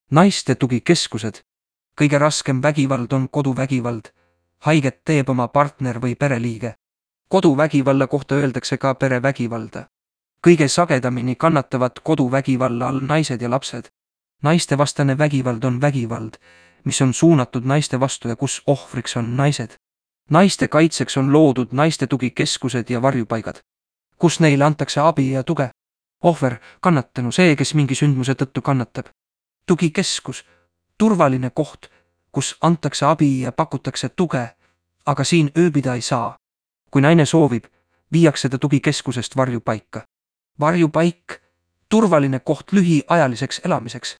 Naiste tugikeskused. Kõige raskem vägivald on koduvägivald. Haiget teeb oma partner või pereliige. Koduvägivalla kohta öeldakse ka perevägivalda. Kõige sagedamini kannatavad koduvägivalla all naised ja lapsed. Naistevastane vägivald on vägivald, mis on suunatud naiste vastu ja kus ohvriks on naised. Naiste kaitseks on loodud naiste tugikeskused ja varjupaigad, kus neile antakse abi ja tuge. Ohver, kannatanu, see, kes mingi sündmuse tõttu kannatab. Tugikeskus, turvaline koht, kus antakse abi ja pakutakse tuge, aga siin ööbida ei saa. Kui naine soovib, viiakse ta tugikeskusest varjupaika. Varjupaik, turvaline koht lühiajaliseks elamiseks,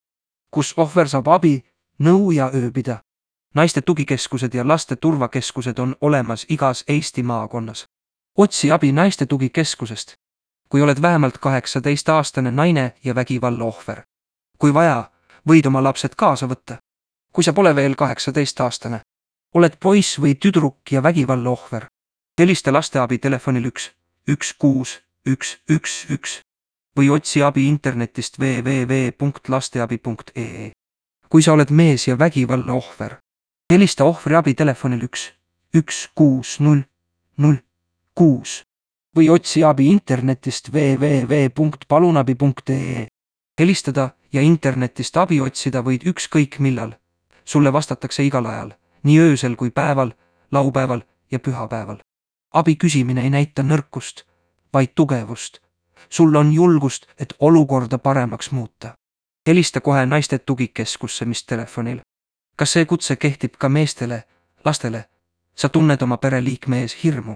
kus ohver saab abi, nõu ja ööbida. Naiste tugikeskused ja laste turvakeskused on olemas igas Eesti maakonnas. Otsi abi naiste tugikeskusest, kui oled vähemalt 18-aastane naine ja vägivalla ohver. Kui vaja, võid oma lapsed kaasa võtta. Kui sa pole veel 18-aastane, oled poiss või tüdruk ja vägivalla ohver. Helista lasteabi telefonil 16111 või otsi abi internetist www.lasteabi.ee. Kui sa oled mees ja vägivalla ohver, helista ohvriabi telefonil 116 või otsi abi internetist www.palunabi.ee. Helistada ja internetist abi otsida võid ükskõik millal. Sulle vastatakse igal ajal, nii öösel kui päeval, laupäeval ja pühapäeval. Abi küsimine ei näita nõrkust, vaid tugevust. Sul on julgust, et olukorda paremaks muuta. Helista kohe naiste tugikeskusse, mis telefonil. Kas see kutse kehtib ka meestele, lastele? Sa tunned oma pereliikme ees hirmu.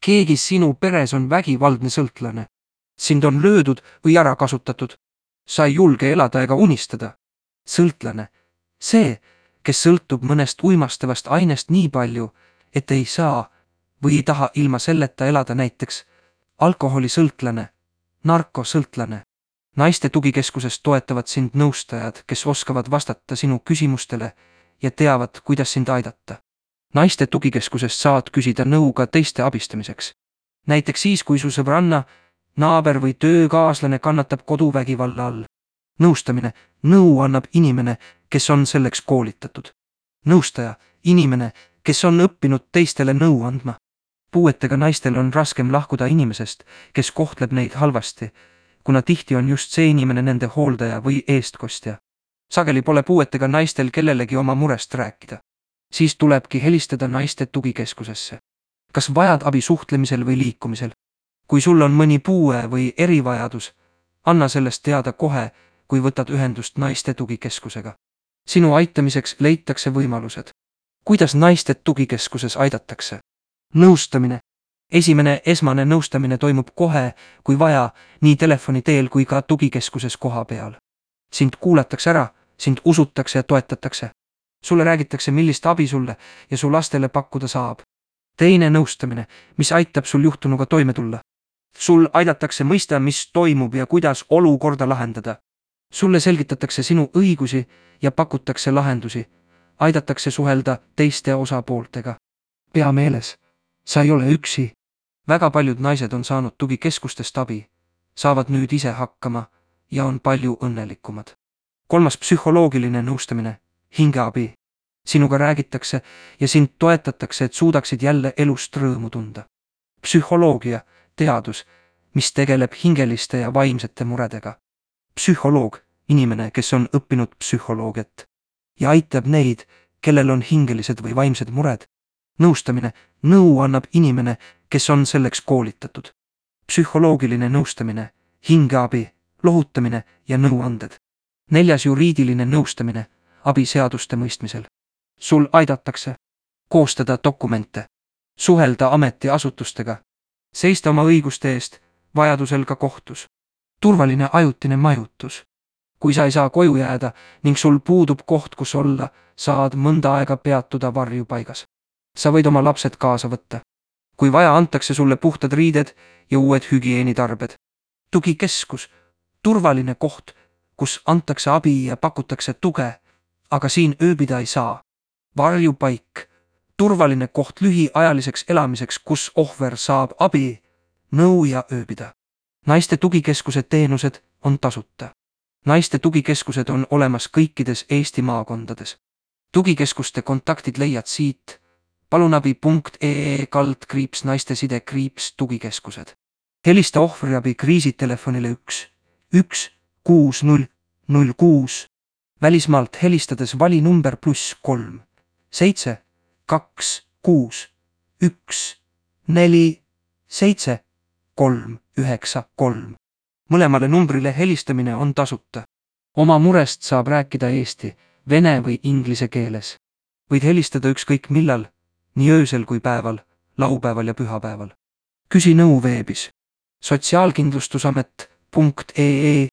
Keegi sinu peres on vägivaldne sõltlane. Sind on löödud või ära kasutatud. Sa ei julge elada ega unistada. Sõltlane. See, kes sõltub mõnest uimastavast ainest nii palju, et ei saa või ei taha ilma selleta elada, näiteks alkoholisõltlane, narkosõltlane. Naiste tugikeskusest toetavad sind nõustajad, kes oskavad vastata sinu küsimustele ja teavad, kuidas sind aidata. Naiste tugikeskusest saad küsida nõu ka teiste abistamiseks. Näiteks siis, kui su sõbranna, naaber või töökaaslane kannatab koduvägivalla all. Nõustamine, nõu annab inimene, kes on selleks koolitatud. Nõustaja, inimene, kes on õppinud teistele nõu andma. Puuetega naistel on raskem lahkuda inimesest, kes kohtleb neid halvasti, kuna tihti on just see inimene nende hooldaja või eestkostja. Sageli pole puuetega naistel kellelegi oma murest rääkida. Siis tulebki helistada naiste tugikeskusesse. Kas vajad abi suhtlemisel või liikumisel? Kui sul on mõni puue või erivajadus, anna sellest teada kohe, kui võtad ühendust naiste tugikeskusega. Sinu aitamiseks leitakse võimalused. Kuidas naiste tugikeskuses aidatakse? Nõustamine. Esmane nõustamine toimub kohe, kui vaja, nii telefoni teel kui ka tugikeskuses koha peal. Sind kuulatakse ära, sind usutakse ja toetatakse. Sulle räägitakse, millist abi sulle ja su lastele pakkuda saab. Teine nõustamine, mis aitab sul juhtunuga toime tulla. Sul aidatakse mõista, mis toimub ja kuidas olukorda lahendada. Sulle selgitatakse sinu õigusi ja pakutakse lahendusi. Aidatakse suhelda teiste osapooltega. Pea meeles, sa ei ole üksi. Väga paljud naised on saanud tugikeskustest abi, saavad nüüd ise hakkama ja on palju õnnelikumad. 3. psühholoogiline nõustamine, hingeabi. Sinuga räägitakse ja sind toetatakse, et suudaksid jälle elust rõõmu tunda. Psühholoogia, teadus, mis tegeleb hingeliste ja vaimsete muredega. Psühholoog, inimene, kes on õppinud psühholoogiat ja aitab neid, kellel on hingelised või vaimsed mured. Nõustamine, nõu annab inimene, kes on selleks koolitatud. Psühholoogiline nõustamine, hingeabi, lohutamine ja nõuanded. 4. juriidiline nõustamine, abi seaduste mõistmisel. Sul aidatakse koostada dokumente, suhelda ametiasutustega, seista oma õiguste eest, vajadusel ka kohtus. Turvaline ajutine majutus. Kui sa ei saa koju jääda ning sul puudub koht, kus olla, saad mõnda aega peatuda varjupaigas. Sa võid oma lapsed kaasa võtta. Kui vaja, antakse sulle puhtad riided ja uued hügieenitarbed. Tugikeskus, turvaline koht, kus antakse abi ja pakutakse tuge, aga siin ööbida ei saa. Varjupaik, turvaline koht lühiajaliseks elamiseks, kus ohver saab abi, nõu ja ööbida. Naiste tugikeskuse teenused on tasuta. Naiste tugikeskused on olemas kõikides Eesti maakondades. Tugikeskuste kontaktid leiad siit palunabi.ee/naisteside-tugikeskused. Helista ohvriabi kriisitelefonile 1 Välismaalt helistades vali number +3 7 2 6 1 4 7 3 9 3. Mõlemale numbrile helistamine on tasuta. Oma murest saab rääkida eesti, vene või inglise keeles. Võid helistada ükskõik millal, nii öösel kui päeval, laupäeval ja pühapäeval. Küsi nõu veebis sotsiaalkindlustusamet.ee